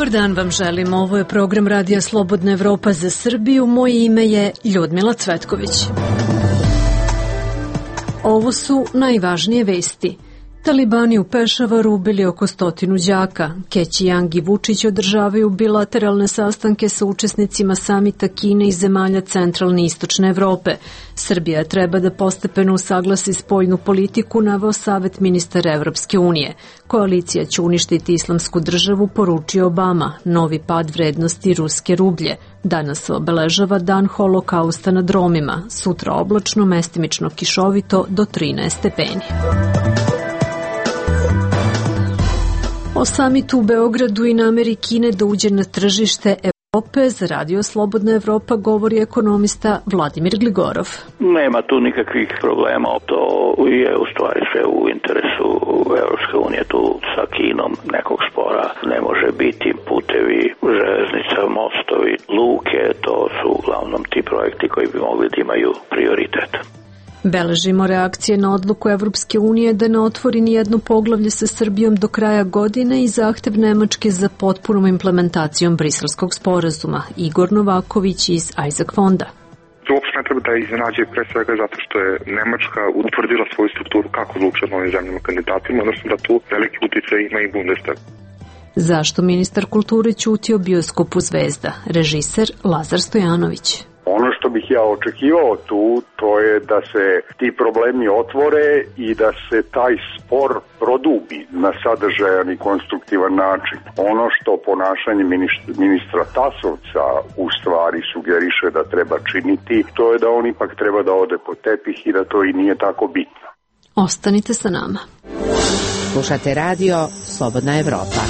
Dobar dan vam želim. Ovo je program Radija Slobodna Evropa za Srbiju. Moje ime je Ljudmila Cvetković. Ovo su najvažnije vesti. Talibani u Pešavaru ubili oko 100 đaka. Keći Jang i Vučić održavaju bilateralne sastanke sa učesnicima samita Kine i zemalja centralne i istočne Evrope. Srbija treba da postepeno usaglasi spoljnu politiku, naveo Savet ministara Evropske unije. Koalicija će uništiti islamsku državu, poručio Obama. Novi pad vrednosti ruske rublje. Danas se obeležava dan holokausta nad Romima. Sutra oblačno, mestimično kišovito do 13 stepeni. O samitu u Beogradu i nameri Kine da uđe na tržište Evrope za Radio Slobodna Evropa govori ekonomista Vladimir Gligorov. Nema tu nikakvih problema, to je u stvari sve u interesu Evropske unije, tu sa Kinom nekog spora ne može biti. Putevi, železnica, mostovi, luke, to su uglavnom ti projekti koji bi mogli da imaju prioritet. Beležimo reakcije na odluku Evropske unije da ne otvori ni jedno poglavlje sa Srbijom do kraja godine i zahtev Nemačke za potpunom implementacijom Briselskog sporazuma. Igor Novaković iz Isaac fonda. To uopšte ne treba da iznenađuje pre svega zato što je Nemačka utvrdila svoju strukturu kako odlučuje od novim zemljama kandidatima, odnosno da tu veliki uticaj ima i Bundestag. Zašto ministar kulture ćuti o bioskopu Zvezda? Režiser Lazar Stojanović. Ono što bih ja očekivao tu, to je da se ti problemi otvore i da se taj spor produbi na sadržajan i konstruktivan način. Ono što ponašanje ministra Tasovca u stvari sugeriše da treba činiti, to je da on ipak treba da ode po tepih i da to i nije tako bitno. Ostanite sa nama. Slušate radio Slobodna Evropa.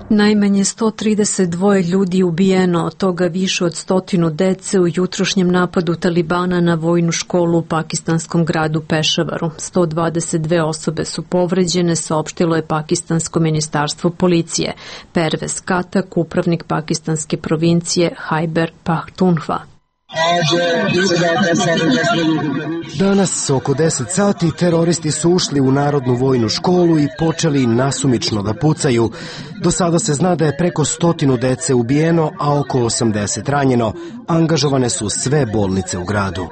Najmanje 132 ljudi ubijeno, od toga više od 100 dece u jutrošnjem napadu Talibana na vojnu školu u pakistanskom gradu Pešavaru. 122 osobe su povređene, saopštilo je pakistansko ministarstvo policije. Pervez Katak, upravnik pakistanske provincije Khyber Pakhtunkhwa. Danas oko 10 sati teroristi su ušli u Narodnu vojnu školu i počeli nasumično da pucaju. Do sada se zna da je preko 100 dece ubijeno, a oko 80 ranjeno. Angažovane su sve bolnice u gradu.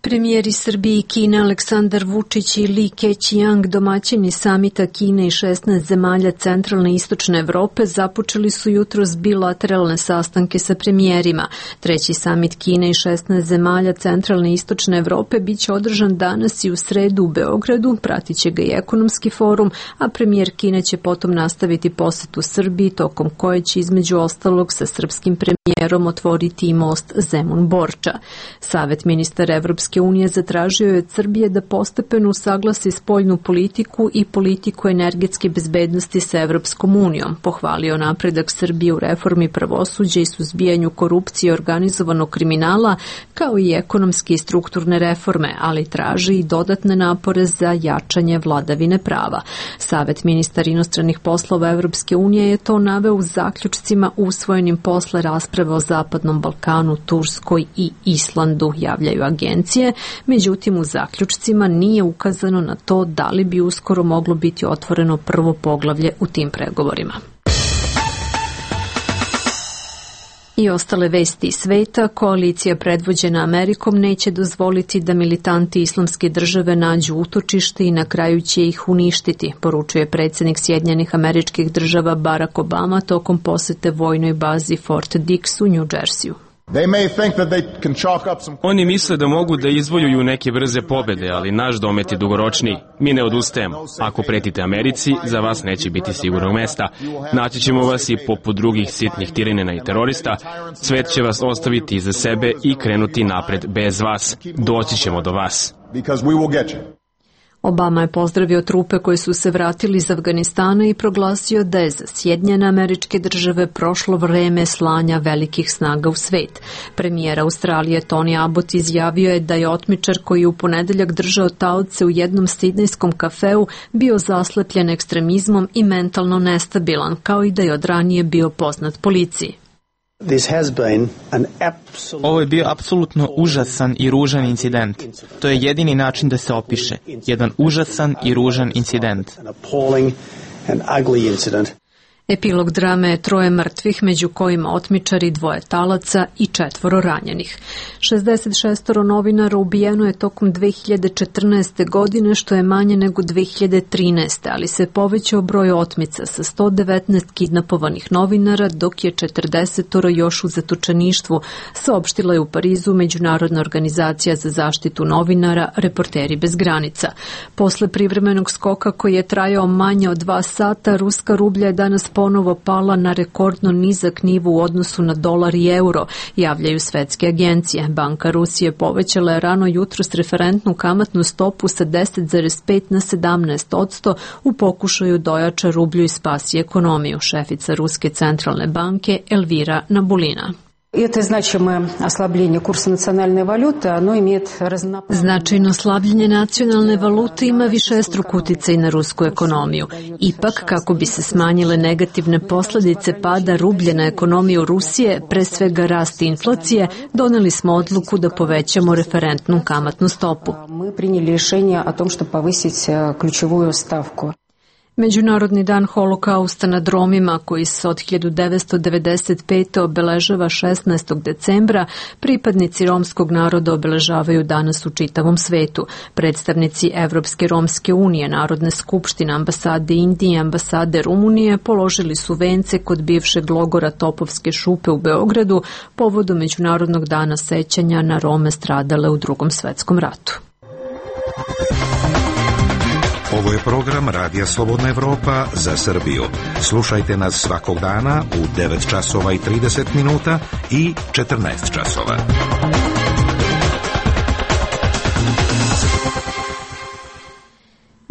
Premijeri Srbije i Kine Aleksandar Vučić i Li Keqiang, domaćini samita Kine i 16 zemalja centralne i istočne Evrope, započeli su jutros bilateralne sastanke sa premijerima. Treći samit Kine i 16 zemalja centralne i istočne Evrope biće održan danas i u sredu u Beogradu, pratit će ga i ekonomski forum, a premijer Kine će potom nastaviti posetu Srbiji, tokom koje će između ostalog sa srpskim premijerom otvoriti i most Zemun-Borča. Savet ministara Evropske unije zatražio je od Srbije da postepeno usaglasi spoljnu politiku i politiku energetske bezbednosti sa Evropskom unijom. Pohvalio napredak Srbije u reformi pravosuđa i suzbijanju korupcije i organizovanog kriminala, kao i ekonomske i strukturne reforme, ali traži i dodatne napore za jačanje vladavine prava. Savet ministara inostranih poslova Evropske unije je to naveo u zaključcima usvojenim posle rasprave o Zapadnom Balkanu, Turskoj i Islandu, javljaju agencije. Međutim, u zaključcima nije ukazano na to da li bi uskoro moglo biti otvoreno prvo poglavlje u tim pregovorima. I ostale vesti iz sveta, koalicija predvođena Amerikom neće dozvoliti da militanti islamske države nađu utočište i na kraju će ih uništiti, poručuje predsjednik Sjedinjenih Američkih Država Barack Obama tokom posete vojnoj bazi Fort Dix u New Jerseyu. Oni misle da mogu da izvojuju neke brze pobede, ali naš domet je dugoročniji. Mi ne odustajemo. Ako pretite Americi, za vas neće biti sigurnog mesta. Naći ćemo vas i poput drugih sitnih tiranina i terorista. Svet će vas ostaviti iza sebe i krenuti napred bez vas. Doći ćemo do vas. Obama je pozdravio trupe koji su se vratili iz Afganistana i proglasio da je za Sjedinjene Američke Države prošlo vreme slanja velikih snaga u svet. Premijer Australije Tony Abbott izjavio je da je otmičar koji je u ponedeljak držao taoce u jednom sidnejskom kafeu bio zaslepljen ekstremizmom i mentalno nestabilan, kao i da je od ranije bio poznat policiji. Ovo je bio apsolutno užasan i ružan incident. To je jedini način da se opiše. Jedan užasan i ružan incident. Epilog drame je 3 mrtvih, među kojima otmičari, 2 talaca i 4 ranjenih. 66 novinara ubijeno je tokom 2014. godine, što je manje nego 2013. ali se povećao broj otmica sa 119 kidnapovanih novinara, dok je 40 još u zatočeništvu, saopštila je u Parizu Međunarodna organizacija za zaštitu novinara Reporteri bez granica. Posle privremenog skoka koji je trajao manje od 2 sata, ruska rublja je danas ponovo pala na rekordno nizak nivo u odnosu na dolar i euro, javljaju svetske agencije. Banka Rusije povećala je rano jutros referentnu kamatnu stopu sa 10,5 na 17% u pokušaju da ojača rublju i spasi ekonomiju, šefica Ruske centralne banke Elvira Nabulina. Značajno slabljenje nacionalne valute ima višestruk uticaj na rusku ekonomiju. Ipak, kako bi se smanjile negativne posledice pada rublje na ekonomiju Rusije, pre svega rast inflacije, doneli smo odluku da povećamo referentnu kamatnu stopu. Međunarodni dan holokausta nad Romima, koji se od 1995. obeležava 16. decembra, pripadnici romskog naroda obeležavaju danas u čitavom svetu. Predstavnici Evropske romske unije, Narodne skupštine, ambasade Indije i ambasade Rumunije položili su vence kod bivšeg logora Topovske šupe u Beogradu povodom Međunarodnog dana sećanja na Rome stradale u Drugom svetskom ratu. Ovo je program Radija Slobodna Evropa za Srbiju. Slušajte nas svakog dana u 9 časova i 30 minuta i 14 časova.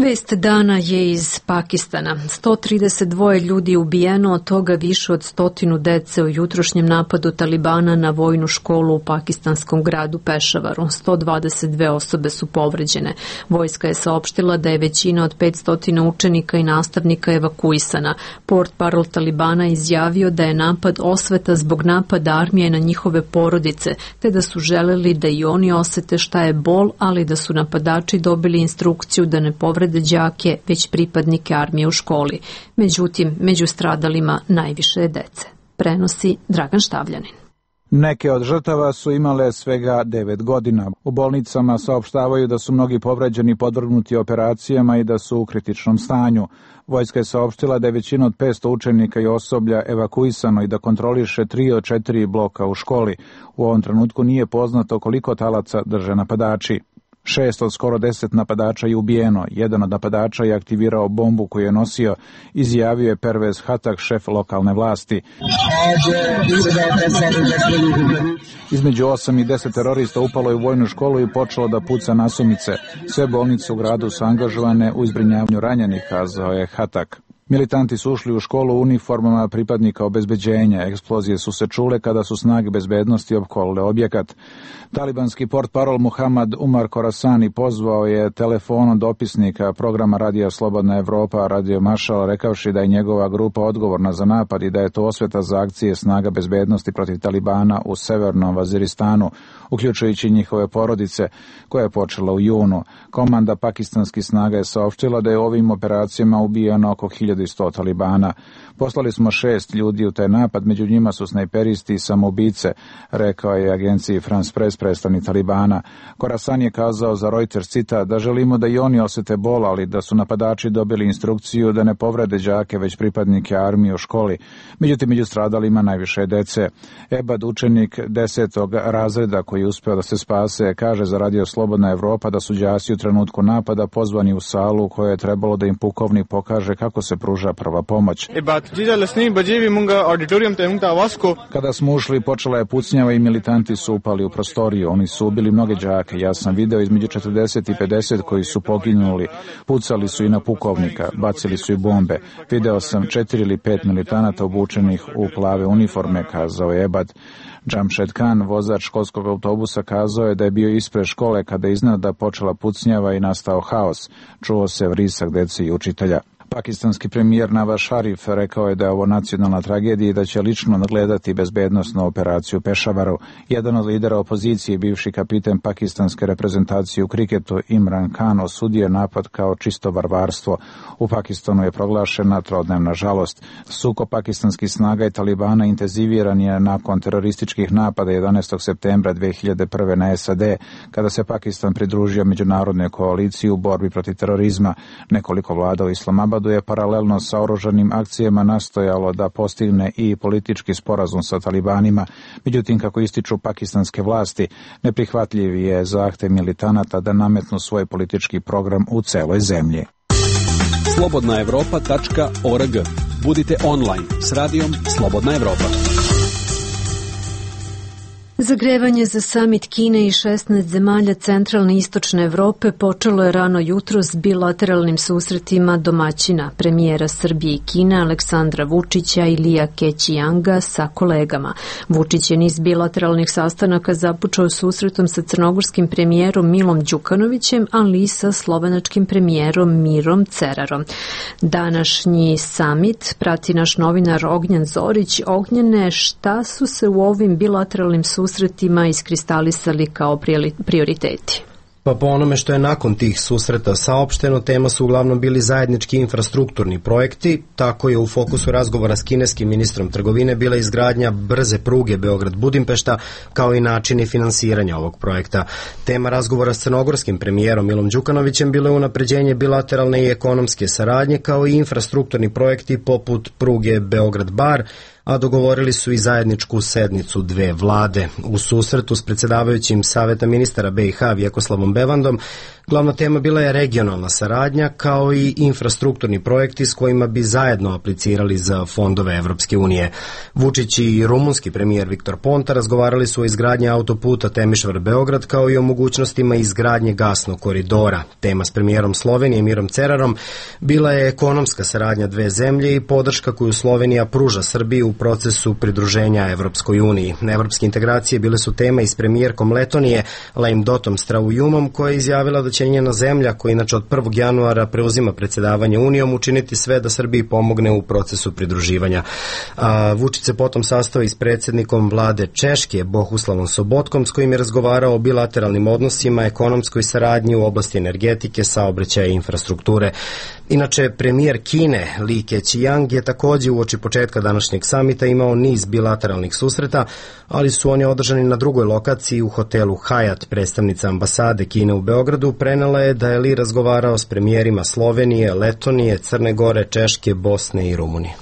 Vest dana je iz Pakistana. 132 ljudi je ubijeno, od toga više od 100 dece u jutrošnjem napadu Talibana na vojnu školu u pakistanskom gradu Pešavaru. 122 osobe su povređene. Vojska je saopštila da je većina od 500 učenika i nastavnika evakuisana. Portparol Talibana izjavio da je napad osveta zbog napada armije na njihove porodice, te da su želeli da i oni osete šta je bol, ali da su napadači dobili instrukciju da ne povrede đake, već pripadnike armije u školi. Međutim, među stradalima najviše je dece. Prenosi Dragan Štavljanin. Neke od žrtava su imale svega 9 godina. U bolnicama saopštavaju da su mnogi povređeni podvrgnuti operacijama i da su u kritičnom stanju. Vojska je saopštila da je većina od 500 učenika i osoblja evakuisano i da kontroliše 3 od 4 bloka u školi. U ovom trenutku nije poznato koliko talaca drže napadači. 6 od skoro 10 napadača je ubijeno. Jedan od napadača je aktivirao bombu koju je nosio, izjavio je Pervez Hatak, šef lokalne vlasti. Između 8 i 10 terorista upalo je u vojnu školu i počelo da puca nasumice. Sve bolnice u gradu su angažovane u zbrinjavanju ranjenih, kazao je Hatak. Militanti su ušli u školu u uniformama pripadnika obezbeđenja. Eksplozije su se čule kada su snage bezbednosti opkolile objekat. Talibanski portparol Muhammad Umar Khorasani pozvao je telefonom dopisnika programa Radija Slobodna Evropa, Radio Mašal, rekavši da je njegova grupa odgovorna za napad i da je to osveta za akcije snaga bezbednosti protiv Talibana u severnom Vaziristanu, uključujući njihove porodice, koja je počela u junu. Komanda pakistanskih snaga je saopštila da je ovim operacijama ubijeno oko 1100 Talibana. Poslali smo 6 ljudi u taj napad, među njima su snajperisti i samoubice, rekao je agenciji France Press predstavnik Talibana. Khorasan je kazao za Reuters, cita, da želimo da i oni osete bol, ali da su napadači dobili instrukciju da ne povrede đake, već pripadnike armije u školi. Međutim, među stradalima najviše dece. Ebad, učenik 10. razreda koji je uspeo da se spase, kaže za Radio Slobodna Evropa da su đaci u trenutku napada pozvani u salu u kojoj je trebalo da im pukovnik pokaže kako se pruža prva pomoć. Kada smo ušli, počela je pucnjava i militanti su upali u prostoriju. Oni su ubili mnoge đake. Ja sam video između 40 i 50 koji su poginuli. Pucali su i na pukovnika, bacili su i bombe. Video sam 4 ili 5 militanata obučenih u plave uniforme, kazao je Ebad. Jamshed Khan, vozač školskog autobusa, kazao je da je bio ispred škole kada je iznenada počela pucnjava i nastao haos. Čuo se vrisak dece i učitelja. Pakistanski premijer Nawaz Sharif rekao je da je ovo nacionalna tragedija i da će lično nadgledati bezbednosnu operaciju u Pešavaru. Jedan od lidera opozicije, bivši kapiten pakistanske reprezentacije u kriketu Imran Khan, osudio je napad kao čisto varvarstvo. U Pakistanu je proglašena trodnevna žalost. Sukob pakistanskih snaga i Talibana intenziviran je nakon terorističkih napada 11. septembra 2001. na SAD, kada se Pakistan pridružio međunarodnoj koaliciji u borbi protiv terorizma. Nekoliko vlada u Islamabadu je paralelno sa oružanim akcijama nastojalo da postigne i politički sporazum sa Talibanima. Međutim, kako ističu pakistanske vlasti, neprihvatljiv je zahtev militanata da nametnu svoj politički program u celoj zemlji. Slobodnaevropa.org. Budite online s radijom Slobodna Evropa. Zagrevanje za samit Kine i 16 zemalja centralne i istočne Evrope počelo je rano jutro s bilateralnim susretima domaćina premijera Srbije i Kine Aleksandra Vučića i Lija Kećijanga sa kolegama. Vučić je niz bilateralnih sastanaka započeo susretom sa crnogorskim premijerom Milom Đukanovićem, ali i sa slovenačkim premijerom Mirom Cerarom. Današnji samit prati naš novinar Ognjen Zorić. Ognjene, šta su se u ovim bilateralnim susretima iskristalisali kao prioriteti? Pa po onome što je nakon tih susreta saopšteno, tema su uglavnom bili zajednički infrastrukturni projekti. Tako je u fokusu razgovora s kineskim ministrom trgovine bila izgradnja brze pruge Beograd-Budimpešta, kao i načini finansiranja ovog projekta. Tema razgovora s crnogorskim premijerom Milom Đukanovićem bilo je unapređenje bilateralne i ekonomske saradnje, kao i infrastrukturni projekti poput pruge Beograd-Bar, a dogovorili su i zajedničku sednicu dve vlade. U susretu s predsjedavajućim Saveta ministara BiH Vjekoslavom Bevandom glavna tema bila je regionalna saradnja, kao i infrastrukturni projekti s kojima bi zajedno aplicirali za fondove Evropske unije. Vučić i rumunski premijer Viktor Ponta razgovarali su o izgradnji autoputa Temišvar-Beograd, kao i o mogućnostima izgradnje gasnog koridora. Tema s premijerom Slovenije Mirom Cerarom bila je ekonomska saradnja dve zemlje i podrška koju Slovenija pruža Srbiji u procesu pridruženja Evropskoj uniji. Evropske integracije bile su tema i s premijerkom Letonije Laimdotom Straujumom, koja je izjavila da će njena zemlja, koja inače od 1. januara preuzima predsjedavanje Unijom, učiniti sve da Srbiji pomogne u procesu pridruživanja. Vučić se potom sastao i s predsjednikom vlade Češke Bohuslavom Sobotkom, s kojim je razgovarao o bilateralnim odnosima, ekonomskoj saradnji u oblasti energetike, saobraćaja i infrastrukture. Inače, premijer Kine Li Kećijang je također uoči početka današnjeg samita imao niz bilateralnih susreta, ali su oni održani na drugoj lokaciji u hotelu Hyatt. Predstavnica ambasade Kine u Beogradu prenela je da je Li razgovarao s premijerima Slovenije, Letonije, Crne Gore, Češke, Bosne i Rumunije.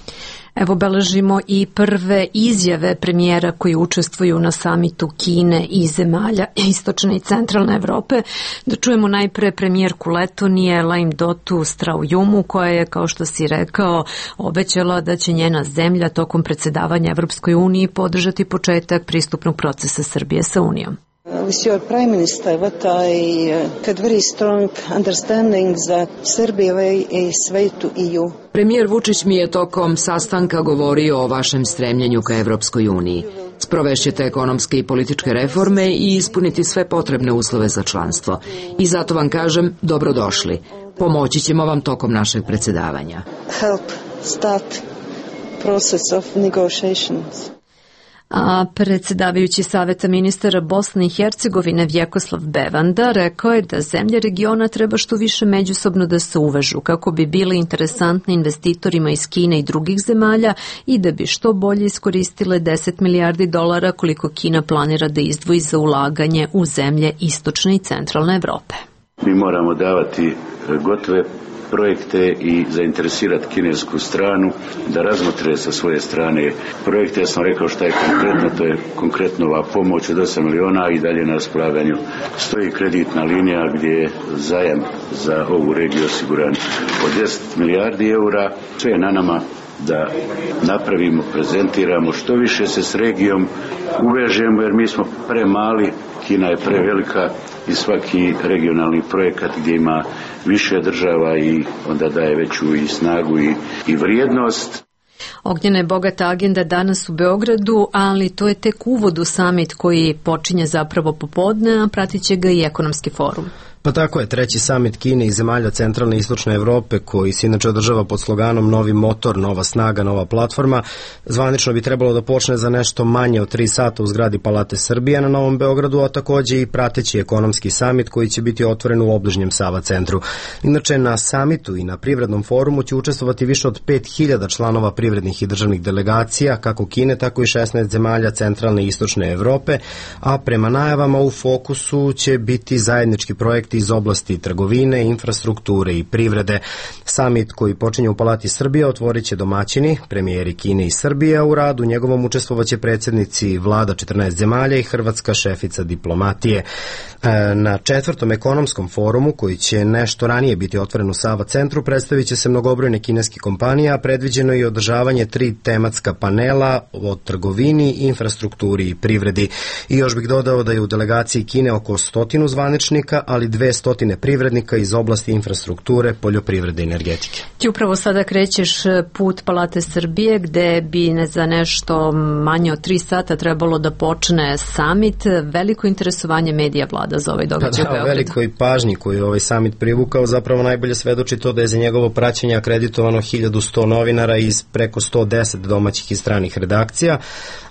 Evo beležimo i prve izjave premijera koji učestvuju na samitu Kine i zemalja istočne i centralne Evrope. Da čujemo najpre premijerku Letonije Laimdotu Straujumu, koja je, kao što si rekao, obećala da će njena zemlja tokom predsjedavanja Evropskoj uniji podržati početak pristupnog procesa Srbije sa Unijom. With your Prime Minister, what I had very strong understanding that Serbia is way to EU. Premijer Vučić mi je tokom sastanka govorio o vašem stremljenju ka Evropskoj uniji. Sprovešćete ekonomske i političke reforme i ispuniti sve potrebne uslove za članstvo. I zato vam kažem, dobrodošli. Pomoći ćemo vam tokom našeg predsjedavanja. Help start process of negotiations. A predsjedavajući Saveta ministara Bosne i Hercegovine Vjekoslav Bevanda rekao je da zemlje regiona treba što više međusobno da se uvežu kako bi bile interesantne investitorima iz Kine i drugih zemalja i da bi što bolje iskoristile 10 milijardi dolara koliko Kina planira da izdvoji za ulaganje u zemlje istočne i centralne Evrope. Mi moramo davati gotove projekte i zainteresirati kinesku stranu da razmotre sa svoje strane projekte. Ja sam rekao šta je konkretno, to je konkretno ova pomoć od 8 miliona i dalje na raspolaganju stoji kreditna linija gdje je zajam za ovu regiju osiguran od 10 milijardi eura. Sve je na nama da napravimo, prezentiramo, što više se s regijom uvežemo, jer mi smo premali, Kina je prevelika i svaki regionalni projekat gdje ima više država i onda daje veću i snagu i vrijednost. Ognjena je bogata agenda danas u Beogradu, ali to je tek uvod u samit koji počinje zapravo popodne, a pratit će ga i ekonomski forum. Pa tako je, treći samit Kine i zemalja centralne i istočne Evrope, koji se inače održava pod sloganom Novi motor, nova snaga, nova platforma, zvanično bi trebalo da počne za nešto manje od 3 sata u zgradi Palate Srbije na Novom Beogradu, a takođe i prateći ekonomski samit koji će biti otvoren u obližnjem Sava centru. Inače, na samitu i na privrednom forumu će učestvovati više od 5000 članova privrednih i državnih delegacija, kako Kine, tako i 16 zemalja centralne i istočne Evrope, a prema najavama u fokusu će biti zajednički projekti iz oblasti trgovine, infrastrukture i privrede. Samit koji počinje u Palati Srbije otvorit će domaćini, premijeri Kine i Srbije, a u radu njegovom učestvovaće predsjednici vlada 14 zemalja i hrvatska šefica diplomatije. Na četvrtom ekonomskom forumu, koji će nešto ranije biti otvoren u Sava centru, predstavit će se mnogobrojne kineske kompanije, a predviđeno je i održavanje 3 tematska panela o trgovini, infrastrukturi i privredi. I još bih dodao da je u delegaciji Kine oko 100 zvaničnika, ali 200 privrednika iz oblasti infrastrukture, poljoprivrede i energetike. Ti upravo sada krećeš put Palate Srbije, gde bi za nešto manje od 3 sata trebalo da počne samit. Veliko interesovanje medija vlada za ovaj događaj u Beogradu. Velikoj pažnji koju ovaj samit privukao zapravo najbolje svedoči to da je za njegovo praćenje akreditovano 1100 novinara iz preko 110 domaćih i stranih redakcija,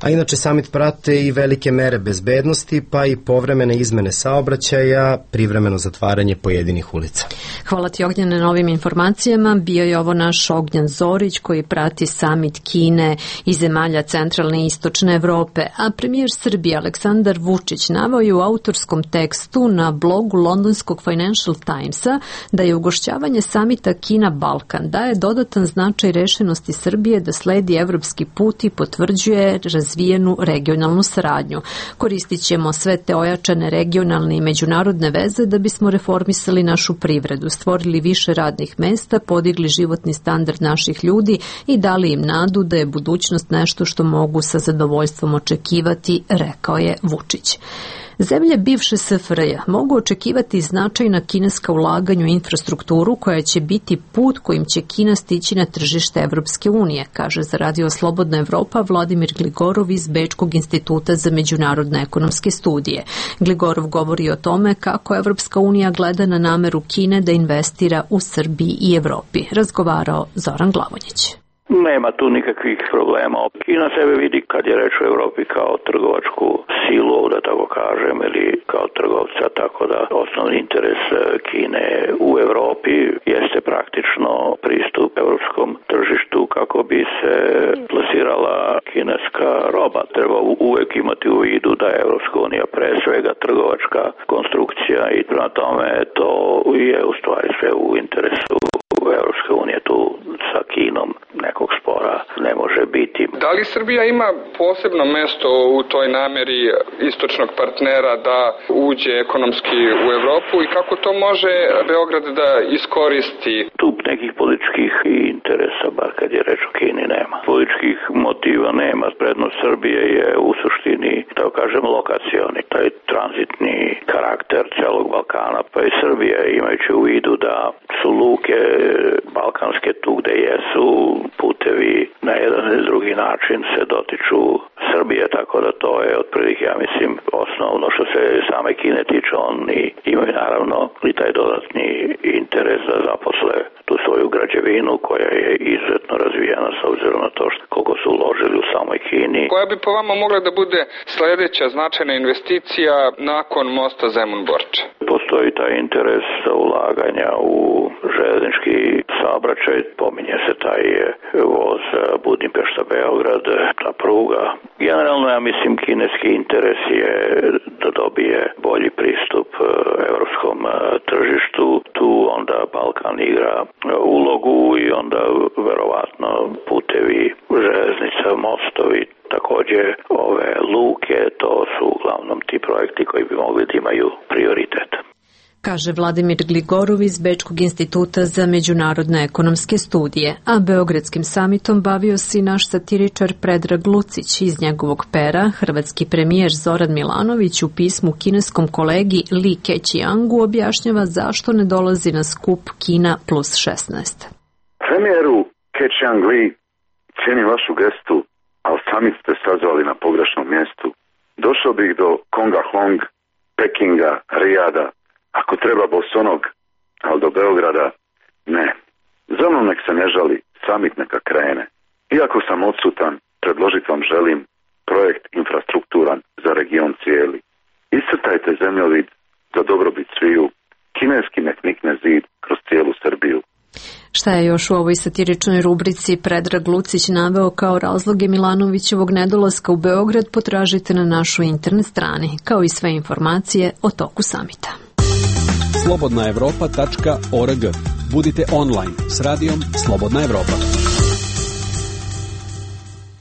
a inače samit prate i velike mere bezbednosti, pa i povremene izmene saobraćaja, privremeno zatvaranje pojedinih ulica. Hvala ti, Ognjene, na ovim informacijama. Bio je ovo naš Ognjen Zorić koji prati samit Kine i zemalja centralne i istočne Evrope, a premijer Srbije Aleksandar Vučić naveo je u autorskom tekstu na blogu londonskog Financial Timesa da je ugošćavanje samita Kina-Balkan daje dodatan značaj rešenosti Srbije da sledi evropski put i potvrđuje razvijenu regionalnu saradnju. Koristit ćemo sve te ojačane regionalne i međunarodne veze da bismo reformisali našu privredu, stvorili više radnih mesta, podigli životni standard naših ljudi i dali im nadu da je budućnost nešto što mogu sa zadovoljstvom očekivati, rekao je Vučić. Zemlje bivše SFRJ mogu očekivati značajna kineska ulaganja u infrastrukturu koja će biti put kojim će Kina stići na tržište Evropske unije, kaže za Radio Slobodna Evropa Vladimir Gligorov iz Bečkog instituta za međunarodne ekonomske studije. Gligorov govori o tome kako Evropska unija gleda na nameru Kine da investira u Srbiji i Evropi. Razgovarao Zoran Glavonjić. Nema tu nikakvih problema. Kina sebe vidi, kad je reč o Evropi, kao trgovačku silu, da tako kažem, ili kao trgovca, tako da osnovni interes Kine u Evropi jeste praktično pristup evropskom tržištu kako bi se plasirala kineska roba. Treba uvek imati u vidu da je Evropska unija pre svega trgovačka konstrukcija i prema tome to je u stvari sve u interesu Evropske unije. Tu sa Kinom nekog spora ne može biti. Da li Srbija ima posebno mesto u toj nameri istočnog partnera da uđe ekonomski u Evropu i kako to može Beograd da iskoristi? Tu nekih političkih interesa, bar kad je reč o Kini, nema. Političkih motiva nema. Prednost Srbije je u suštini, da kažem, lokacioni, taj tranzitni karakter celog Balkana, pa i Srbije, imajući u vidu da su luke balkanske tu gde jesu, putevi na jedan ili drugi način se dotiču Srbije, tako da to je otprilike, ja mislim, osnovno što se same Kine tiče. Oni imaju naravno i taj dodatni interes da zaposle tu svoju građevinu koja je izuzetno razvijena s obzirom na to koliko su uložili u samoj Kini. Koja bi po vama mogla da bude sledeća značajna investicija nakon mosta Zemun-Borča? Postoji taj interes za ulaganja u železnički saobraćaj, pominje se taj voz Budimpešta-Beograd, ta pruga. Generalno, ja mislim, kineski interes je da dobije bolji pristup evropskom tržištu. Tu onda Balkan igra ulogu i onda verovatno putevi, železnica, mostovi, takođe ove luke, to su uglavnom ti projekti koji bi mogli da imaju prioritet. Kaže Vladimir Gligorov iz Bečkog instituta za međunarodne ekonomske studije, a Beogradskim samitom bavio se i naš satiričar Predrag Lucić. Iz njegovog pera hrvatski premijer Zoran Milanović u pismu kineskom kolegi Li Keqiangu objašnjava zašto ne dolazi na skup Kina plus 16. Premijeru Keqiang Li, cijenim vašu gestu, ali sami ste sazvali na pogrešnom mjestu. Došao bih do Konga Hong, Pekinga, Rijada, ako treba bosonog, ali do Beograda ne. Za mnom nek se ne žali, samit neka krene. Iako sam odsutan, predložiti vam želim projekt infrastrukturan za region cijeli. Iscrtajte zemljovid za dobrobit sviju, kineski nek nikne zid kroz cijelu Srbiju. Šta je još u ovoj satiričnoj rubrici Predrag Lucić naveo kao razloge Milanovićevog nedolaska u Beograd, potražite na našoj internet strani, kao i sve informacije o toku samita. slobodnaevropa.org. Budite online s radijom Slobodna Evropa.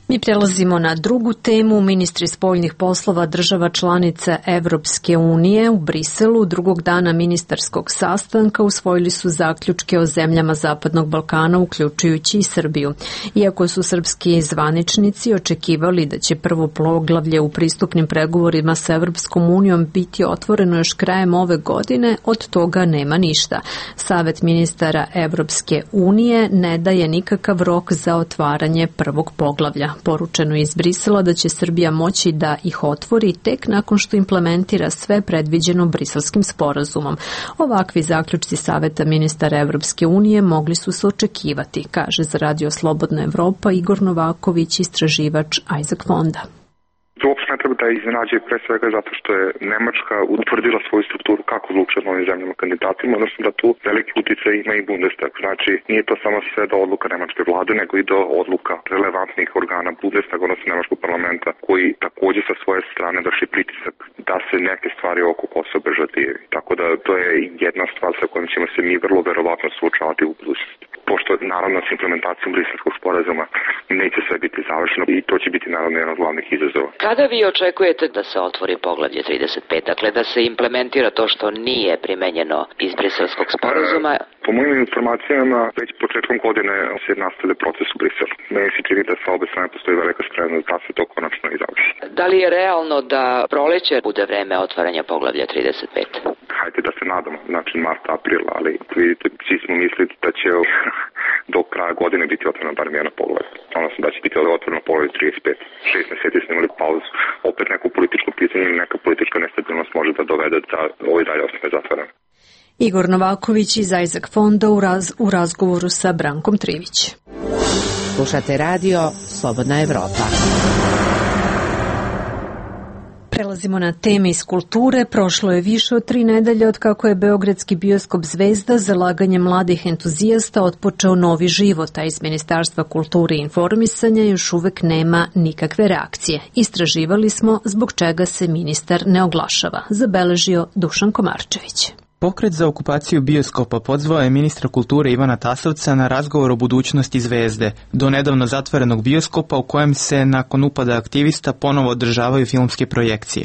Mi prelazimo na drugu temu. Ministri spoljnih poslova država članica Evropske unije u Briselu drugog dana ministarskog sastanka usvojili su zaključke o zemljama Zapadnog Balkana, uključujući i Srbiju. Iako su srpski zvaničnici očekivali da će prvo poglavlje u pristupnim pregovorima sa Evropskom unijom biti otvoreno još krajem ove godine, od toga nema ništa. Savet ministara Evropske unije ne daje nikakav rok za otvaranje prvog poglavlja. Poručeno je iz Brisela da će Srbija moći da ih otvori tek nakon što implementira sve predviđeno Briselskim sporazumom. Ovakvi zaključci Saveta ministara Evropske unije mogli su se očekivati, kaže za Radio Slobodna Evropa Igor Novaković, istraživač Isaac Fonda. To uopšte ne treba da iznenađe, pre svega zato što je Nemačka utvrdila svoju strukturu kako odlučuje od novim zemljama kandidatima, odnosno da tu veliki uticaj ima i Bundestag. Znači, nije to samo sve do odluka nemačke vlade, nego i do odluka relevantnih organa Bundestaga, odnosno nemačkog parlamenta, koji također sa svoje strane vrši pritisak da se neke stvari oko Kosova brže odvijaju. Tako da to je jedna stvar sa kojom ćemo se mi vrlo verovatno suočavati u budućnosti. Pošto naravno s implementacijom Briselskog sporazuma neće sve biti završeno i to će biti naravno jedan od glavnih izazova. Kada vi očekujete da se otvori poglavlje 35, dakle da se implementira to što nije primenjeno iz Briselskog sporazuma? Po mojim informacijama, već početkom godine se nastavlja proces u Briselu. Meni se čini da sa obe strane postoji velika spremnost da se to konačno i završi. Da li je realno da proleće bude vreme otvaranja poglavlja 35? Hajde da se nadamo, znači mart, april, ali vidite, svi smo mislili da će do kraja godine biti otvoreno bar jedno poglavlje. Odnosno da će biti otvoreno poglavlje 35. 6 mjeseci smo imali pauzu. Opet neko političko pitanje ili neka politička nestabilnost može da dovede da ovo i dalje ostane zatvoreno. Igor Novaković iz Isaac Fonda u razgovoru sa Brankom Trivić. Slušate radio Slobodna Evropa. Prelazimo na teme iz kulture. Prošlo je više od 3 nedelje od kako je beogradski bioskop Zvezda zalaganjem mladih entuzijasta otpočeo novi život, a iz Ministarstva kulture i informisanja još uvek nema nikakve reakcije. Istraživali smo zbog čega se ministar ne oglašava, zabeležio Dušan Komarčević. Pokret za okupaciju bioskopa pozvao je ministra kulture Ivana Tasovca na razgovor o budućnosti Zvezde, do nedavno zatvorenog bioskopa u kojem se nakon upada aktivista ponovo održavaju filmske projekcije.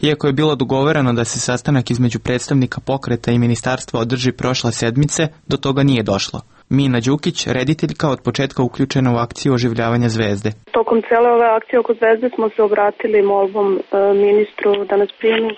Iako je bilo dogovoreno da se sastanak između predstavnika pokreta i ministarstva održi prošle sedmice, do toga nije došlo. Mina Đukić, rediteljka, od početka uključena u akciju oživljavanja Zvezde. Tokom cele ove akcije oko Zvezde smo se obratili molbom ministru da nas primi,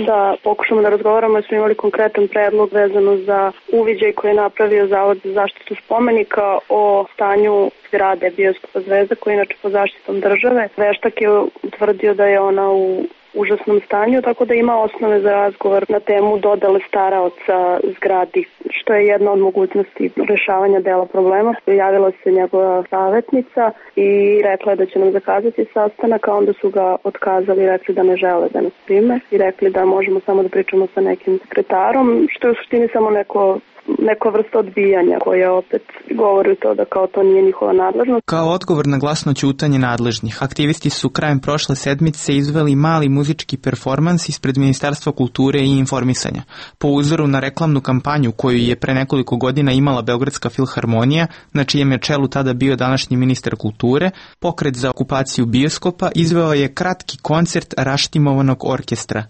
da pokušamo da razgovaramo, jer smo imali konkretan predlog vezano za uviđaj koji je napravio Zavod za zaštitu spomenika o stanju zgrade bioskopa Zvezda, koji je inače pod zaštitom države. Veštak je utvrdio da je ona u užasnom stanju, tako da ima osnove za razgovor na temu dodale staraoca zgradi, što je jedna od mogućnosti rešavanja dela problema. Javila se njegova savjetnica i rekla je da će nam zakazati sastanak, a onda su ga otkazali i rekli da ne žele da nas prime i rekli da možemo samo da pričamo sa nekim sekretarom, što je u suštini samo neka vrsta odbijanja koja opet govori to da kao to nije njihova nadležnost. Kao odgovor na glasno ćutanje nadležnih, aktivisti su krajem prošle sedmice izveli mali muzički performans ispred Ministarstva kulture i informisanja. Po uzoru na reklamnu kampanju koju je pre nekoliko godina imala Beogradska filharmonija, na čijem je čelu tada bio današnji ministar kulture, pokret za okupaciju bioskopa izveo je kratki koncert raštimovanog orkestra.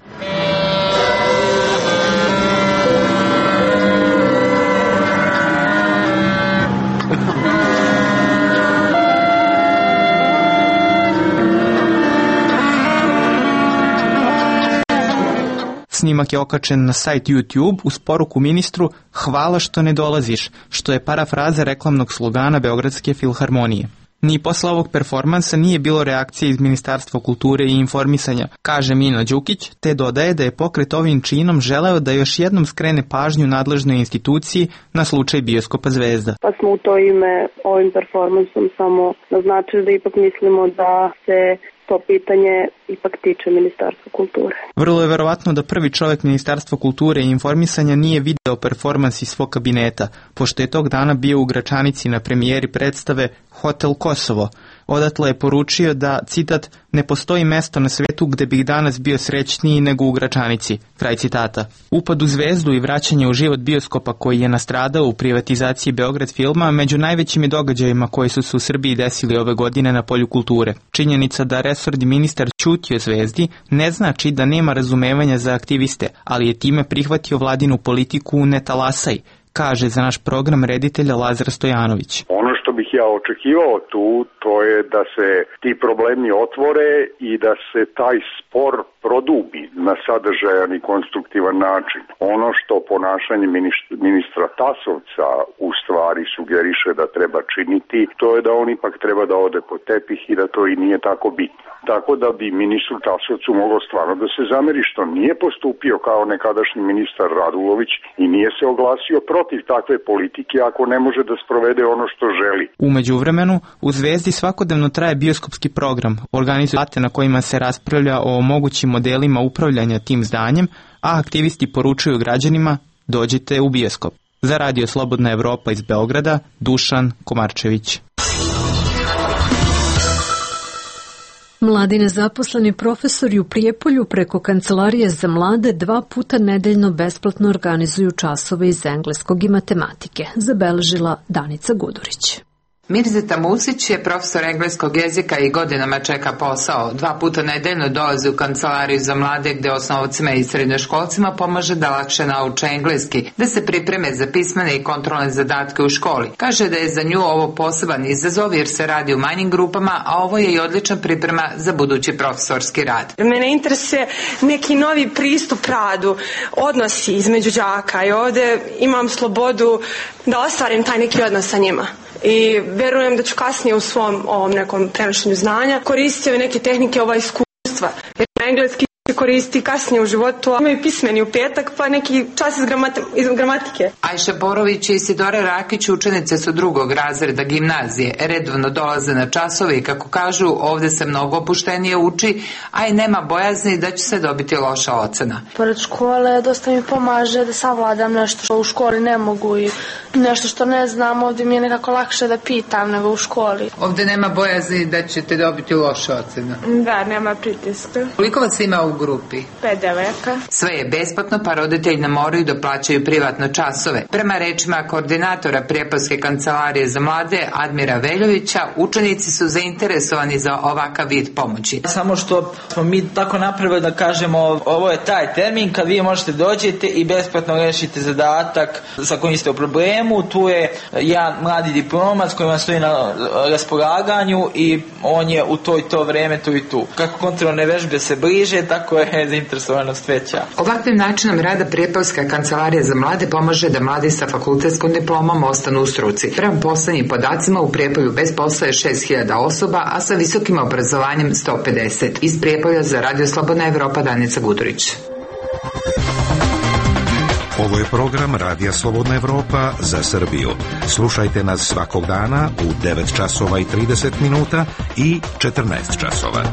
Snimak je okačen na sajt YouTube uz poruku ministru "Hvala što ne dolaziš", što je parafraza reklamnog slogana Beogradske filharmonije. Ni posle ovog performansa nije bilo reakcije iz Ministarstva kulture i informisanja, kaže Mino Đukić, te dodaje da je pokret ovim činom želeo da još jednom skrene pažnju nadležnoj instituciji na slučaj bioskopa Zvezda. Pa smo u to ime ovim performansom samo naznačili da ipak mislimo da se to pitanje ipak tiče Ministarstva kulture. Vrlo je verovatno da prvi čovjek Ministarstva kulture i informisanja nije video performans iz svog kabineta, pošto je tog dana bio u Gračanici na premijeri predstave Hotel Kosovo. Odatle je poručio da, citat, ne postoji mesto na svetu gde bih danas bio srećniji nego u Gračanici, kraj citata. Upad u Zvezdu i vraćanje u život bioskopa koji je nastradao u privatizaciji Beograd filma među najvećim događajima koji su se u Srbiji desili ove godine na polju kulture. Činjenica da resorni ministar ćuti o Zvezdi ne znači da nema razumevanja za aktiviste, ali je time prihvatio vladinu politiku ne talasaj, kaže za naš program reditelja Lazar Stojanović. Ono što bih ja očekivao tu, to je da se ti problemi otvore i da se taj spor produbi na sadržajan i konstruktivan način. Ono što ponašanje ministra Tasovca u stvari sugeriše da treba činiti, to je da on ipak treba da ode po tepih i da to i nije tako bitno. Tako da bi ministru Tasovcu moglo stvarno da se zameri što nije postupio kao nekadašnji ministar Radulović i nije se oglasio protiv takve politike ako ne može da sprovede ono što želi. U međuvremenu, u Zvezdi svakodnevno traje bioskopski program, organizuje debate na kojima se raspravlja o mogućim modelima upravljanja tim zdanjem, a aktivisti poručuju građanima dođite u bioskop. Za Radio Slobodna Evropa iz Beograda, Dušan Komarčević. Mladi nezaposleni profesori u Prijepolju preko Kancelarije za mlade 2 puta nedeljno besplatno organizuju časove iz engleskog i matematike, zabeležila Danica Gudurić. Mirzeta Musić je profesor engleskog jezika i godinama čeka posao. 2 puta nedeljno dolazi u Kancelariju za mlade gde osnovcima i srednjoškolcima pomaže da lakše nauče engleski, da se pripreme za pismene i kontrolne zadatke u školi. Kaže da je za nju ovo poseban izazov jer se radi u manjim grupama, a ovo je i odlična priprema za budući profesorski rad. Mene interesuje neki novi pristup radu, odnosi između đaka i ovde imam slobodu da ostvarim taj neki odnos sa njima. I verujem da ću kasnije u svom ovom nekom prenošenju znanja koristiti ove neke tehnike, ova iskustva. Jer engleski se koristi kasnije u životu, a imaju pismeni u petak, pa neki čas iz gramatike. Ajša Borović i Isidora Rakić učenice su 2. razreda gimnazije. Redovno dolaze na časove i kako kažu, ovde se mnogo opuštenije uči, a i nema bojazni da će se dobiti loša ocena. Pored škole dosta mi pomaže da savladam nešto što u školi ne mogu i nešto što ne znam, ovdje mi je nekako lakše da pitam nego u školi. Ovdje nema bojazni da ćete dobiti loša ocena? Da, nema pritiska. Koliko vas ima u grupi? 5 devojaka. Sve je besplatno, pa roditelji ne moraju da plaćaju privatno časove. Prema rečima koordinatora Prijepolske kancelarije za mlade Admira Veljovića, učenici su zainteresovani za ovakav vid pomoći. Samo što smo mi tako napravili da kažemo ovo je taj termin kad vi možete dođete i besplatno rešite zadatak sa kojim ste u problemu. Tu je jedan mladi diplomac koji vam stoji na raspolaganju i on je u to i to vreme tu i tu. Kako kontrolne vežbe se bliže, tako je zainteresovanost veća. Ovakvim načinom rada Prijepolska kancelarija za mlade pomaže da mladi sa fakultetskom diplomom ostanu u struci. Prema poslednjim podacima u Prijepolju bez posla je 6.000 osoba, a sa visokim obrazovanjem 150. Iz Prijepolja za Radio Slobodna Evropa, Danica Gudurić. Ovo je program Radija Slobodna Evropa za Srbiju. Slušajte nas svakog dana u 9 časova i 30 minuta i 14 časova.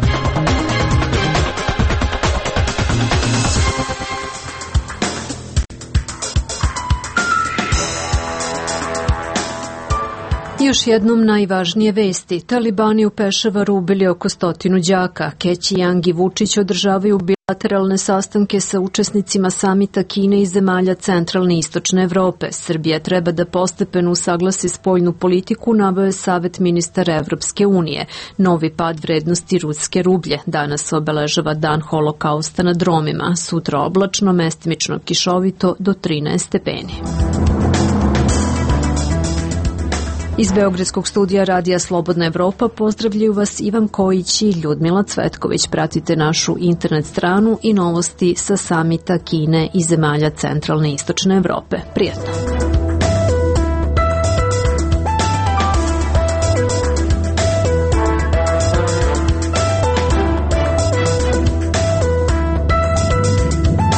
Još jednom najvažnije vesti. Talibani u Pešavaru ubili oko 100 đaka. Keći Yang i Vučić održavaju bilateralne sastanke sa učesnicima samita Kine i zemalja centralne i istočne Evrope. Srbija treba da postepeno usaglasi spoljnu politiku, naveo je Savet ministara Evropske unije. Novi pad vrednosti ruske rublje. Danas obeležava dan holokausta na dromima. Sutra oblačno, mestimično kišovito do 13 stepeni. Iz Beogradskog studija Radija Slobodna Evropa pozdravljaju vas Ivan Kojić i Ljudmila Cvetković. Pratite našu internet stranu i novosti sa samita Kine i zemalja centralne i istočne Evrope. Prijatno!